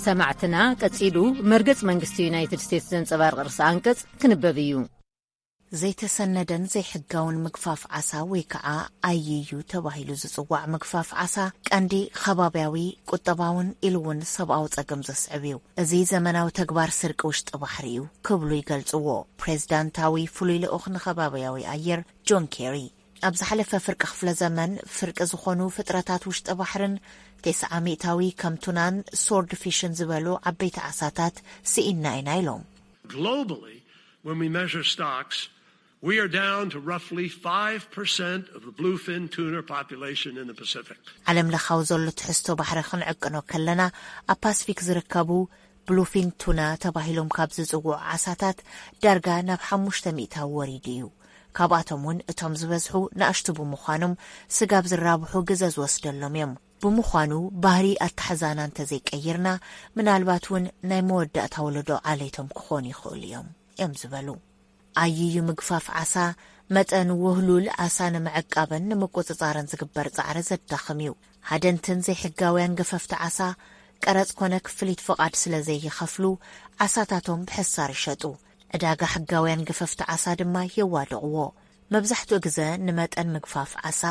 ሰማዕትና፣ ቀጺሉ መርገጽ መንግስቲ ዩናይትድ ስቴትስ ዘንጸባርቕ ርእሰ ኣንቀጽ ክንበብ እዩ። ዘይተሰነደን ዘይሕጋውን ምግፋፍ ዓሳ ወይ ከዓ ኣይዩ ተባሂሉ ዝጽዋዕ ምግፋፍ ዓሳ ቀንዲ ከባብያዊ፣ ቁጠባውን ኢሉ እውን ሰብኣዊ ጸገም ዘስዕብ እዩ። እዚ ዘመናዊ ተግባር ስርቂ ውሽጢ ባሕሪ እዩ ክብሉ ይገልጽዎ ፕሬዝዳንታዊ ፍሉይ ልኡኽ ንከባብያዊ ኣየር ጆን ኬሪ። ኣብ ዝሓለፈ ፍርቂ ክፍለ ዘመን ፍርቂ ዝኾኑ ፍጥረታት ውሽጢ ባሕርን 90%ዊ ከም ቱናን ስዎርድ ፊሽን ዝበሉ ዓበይቲ ዓሳታት ስኢና ኢና ኢሎም። Globally, when we measure stocks, we are down to roughly 5% of the bluefin tuna population in the Pacific. ዓለም ለኻዊ ዘሎ ትሕዝቶ ባሕሪ ክንዕቅኖ ከለና፣ ኣብ ፓስፊክ ዝርከቡ ብሉፊን ቱና ተባሂሎም ካብ ዝጽውዑ ዓሳታት ዳርጋ ናብ ሓሙሽተ ሚእታዊ ወሪዱ እዩ። ካብኣቶም እውን እቶም ዝበዝሑ ንኣሽቱ ብምዃኖም፣ ስጋብ ዝራብሑ ግዘ ዝወስደሎም እዮም። ብምዃኑ፣ ባህሪ ኣተሓዛና እንተዘይቀይርና፣ ምናልባት እውን ናይ መወዳእታ ወለዶ ዓሌቶም ክኾኑ ይኽእሉ እዮም እዮም ዝበሉ። ኣይዩ ምግፋፍ ዓሳ፣ መጠን ውህሉል ዓሳ ንምዕቃብን ንምቁጽጻርን ዝግበር ጻዕሪ ዘዳኽም እዩ። ሃደንትን ዘይሕጋውያን ገፈፍቲ ዓሳ፣ ቀረጽ ኮነ ክፍሊት ፍቓድ ስለ ዘይኸፍሉ፣ ዓሳታቶም ብሕሳር ይሸጡ። ዕዳጋ ሕጋውያን ገፈፍቲ ዓሳ ድማ የዋድቕዎ። መብዛሕትኡ ግዘ ንመጠን ምግፋፍ ዓሳ፣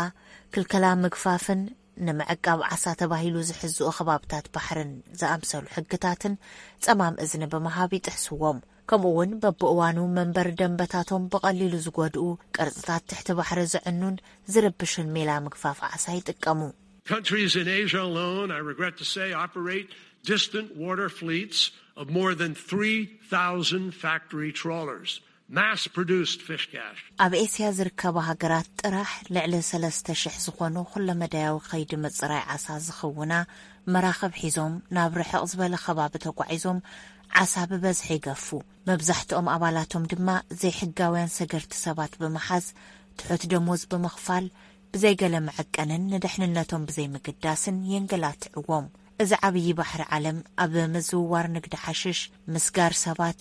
ክልከላ ምግፋፍን ንምዕቃብ ዓሳ ተባሂሉ ዝሕዝኡ ከባብታት ባሕርን ዝኣምሰሉ ሕግታትን ጸማም እዝኒ ብምሃብ ይጥሕስዎም። ከምኡ እውን በብእዋኑ መንበሪ ደንበታቶም ብቐሊሉ ዝጎድኡ፣ ቅርጽታት ትሕቲ ባሕሪ ዘዕኑን ዝርብሽን ሜላ ምግፋፍ ዓሳ ይጥቀሙ። Countries in Asia alone, I regret to say, operate distant water fleets of more than 3,000 factory trawlers, mass-produced fish catch. ኣብ ኤስያ ዝርከባ ሃገራት ጥራሕ ልዕሊ 3,000 ዝኾኑ ኩለመዳያዊ ከይዲ ምጽራይ ዓሳ ዝኽውና መራኽብ ሒዞም ናብ ርሕቕ ዝበለ ከባቢ ተጓዒዞም ዓሳ ብበዝሒ ይገፉ። መብዛሕትኦም ኣባላቶም ድማ ዘይሕጋውያን ሰገርቲ ሰባት ብምሓዝ፣ ትሑት ደሞዝ ብምኽፋል፣ ብዘይገለ መዐቀንን ንድሕንነቶም ብዘይምግዳስን የንገላትዕዎም። እዚ ዓብዪ ባሕሪ ዓለም ኣብ ምዝውዋር ንግዲ ሓሽሽ፣ ምስጋር ሰባት፣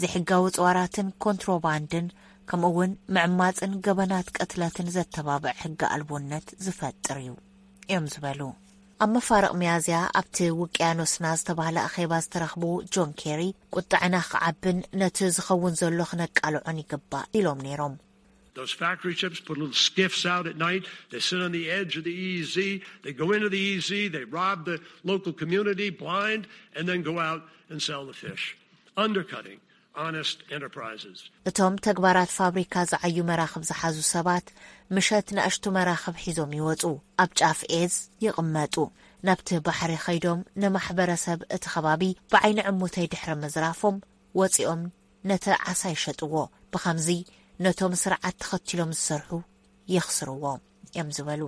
ዘይሕጋዊ ጽዋራትን ኮንትሮባንድን፣ ከምኡ እውን ምዕማጽን ገበናት ቅትለትን ዘተባብዕ ሕጊ ኣልቦነት ዝፈጥር እዩ እዮም ዝበሉ። ኣብ መፋርቕ ሚያዝያ ኣብቲ ውቅያኖስና ዝተባህለ ኣኼባ ዝተረኽቡ ጆን ኬሪ፣ ቁጥዕና ክዓብን ነቲ ዝኸውን ዘሎ ክነቃልዖን ይግባእ ኢሎም ነይሮም። Those factory ships put little skiffs out at night. They sit on the edge of the E E Z. They go into the E E Z. They rob the local community blind and then go out and sell the fish, undercutting honest enterprises. እቶም ተግባራት ፋብሪካ ዝዓዩ መራኽብ ዝሓዙ ሰባት ምሸት ንኣሽቱ መራኽብ ሒዞም ይወጹ፣ ኣብ ጫፍ ኤዝ ይቕመጡ። ናብቲ ባሕሪ ኸይዶም ንማሕበረሰብ እቲ ከባቢ ብዓይኒ ዕሙተይ ድሕሪ ምዝራፎም ወጺኦም ነቲ ዓሳ ይሸጥዎ። ብኸምዚ ነቶም ስርዓት ተኸቲሎም ዝሰርሑ የኽስርዎ እዮም ዝበሉ።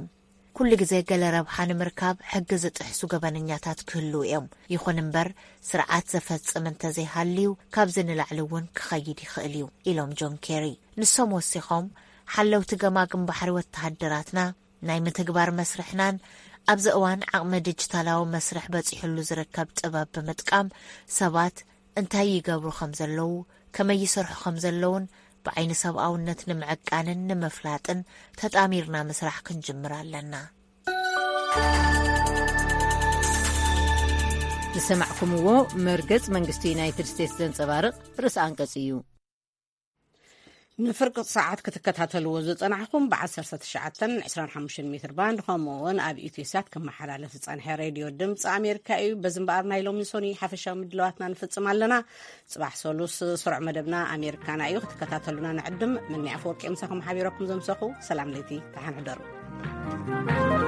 ኩሉ ግዜ ገለ ረብሓ ንምርካብ ሕጊ ዝጥሕሱ ገበነኛታት ክህልዉ እዮም። ይኹን እምበር ስርዓት ዘፈጽም እንተዘይሃልዩ ካብዚ ንላዕሊ እውን ክኸይድ ይኽእል እዩ ኢሎም ጆን ኬሪ። ንሶም ወሲኾም ሓለውቲ ገማግም ባሕሪ ወተሃደራትና ናይ ምትግባር መስርሕናን ኣብዚ እዋን ዓቕሚ ዲጂታላዊ መስርሕ በጺሕሉ ዝርከብ ጥበብ ብምጥቃም ሰባት እንታይ ይገብሩ ከም ዘለዉ፣ ከመይ ይሰርሑ ከም ዘለዉን ብዓይኒ ሰብኣውነት ንምዕቃንን ንምፍላጥን ተጣሚርና ምስራሕ ክንጅምር ኣለና። ዝሰማዕኩምዎ መርገጽ መንግስቲ ዩናይትድ ስቴትስ ዘንጸባርቕ ርእሰ ኣንቀጽ እዩ። ንፍርቂ ሰዓት ክትከታተልዎ ዝጸናሕኩም ብ19 25 ሜትር ባንድ ከምኡ እውን ኣብ ኢትዮሳት ክመሓላለፍ ዝጸንሐ ሬድዮ ድምፂ ኣሜሪካ እዩ። በዚ እምበኣር ናይ ሎሚ ሶኒ ሓፈሻዊ ምድላዋትና ንፍጽም ኣለና። ጽባሕ ሰሉስ ስሩዕ መደብና ኣሜሪካና እዩ። ክትከታተሉና ንዕድም። ምኒ ኣፈወርቂ ምሳኹም ሓቢረኩም ዘምሰኹ። ሰላም ለይቲ፣ ደሓን ሕደሩ።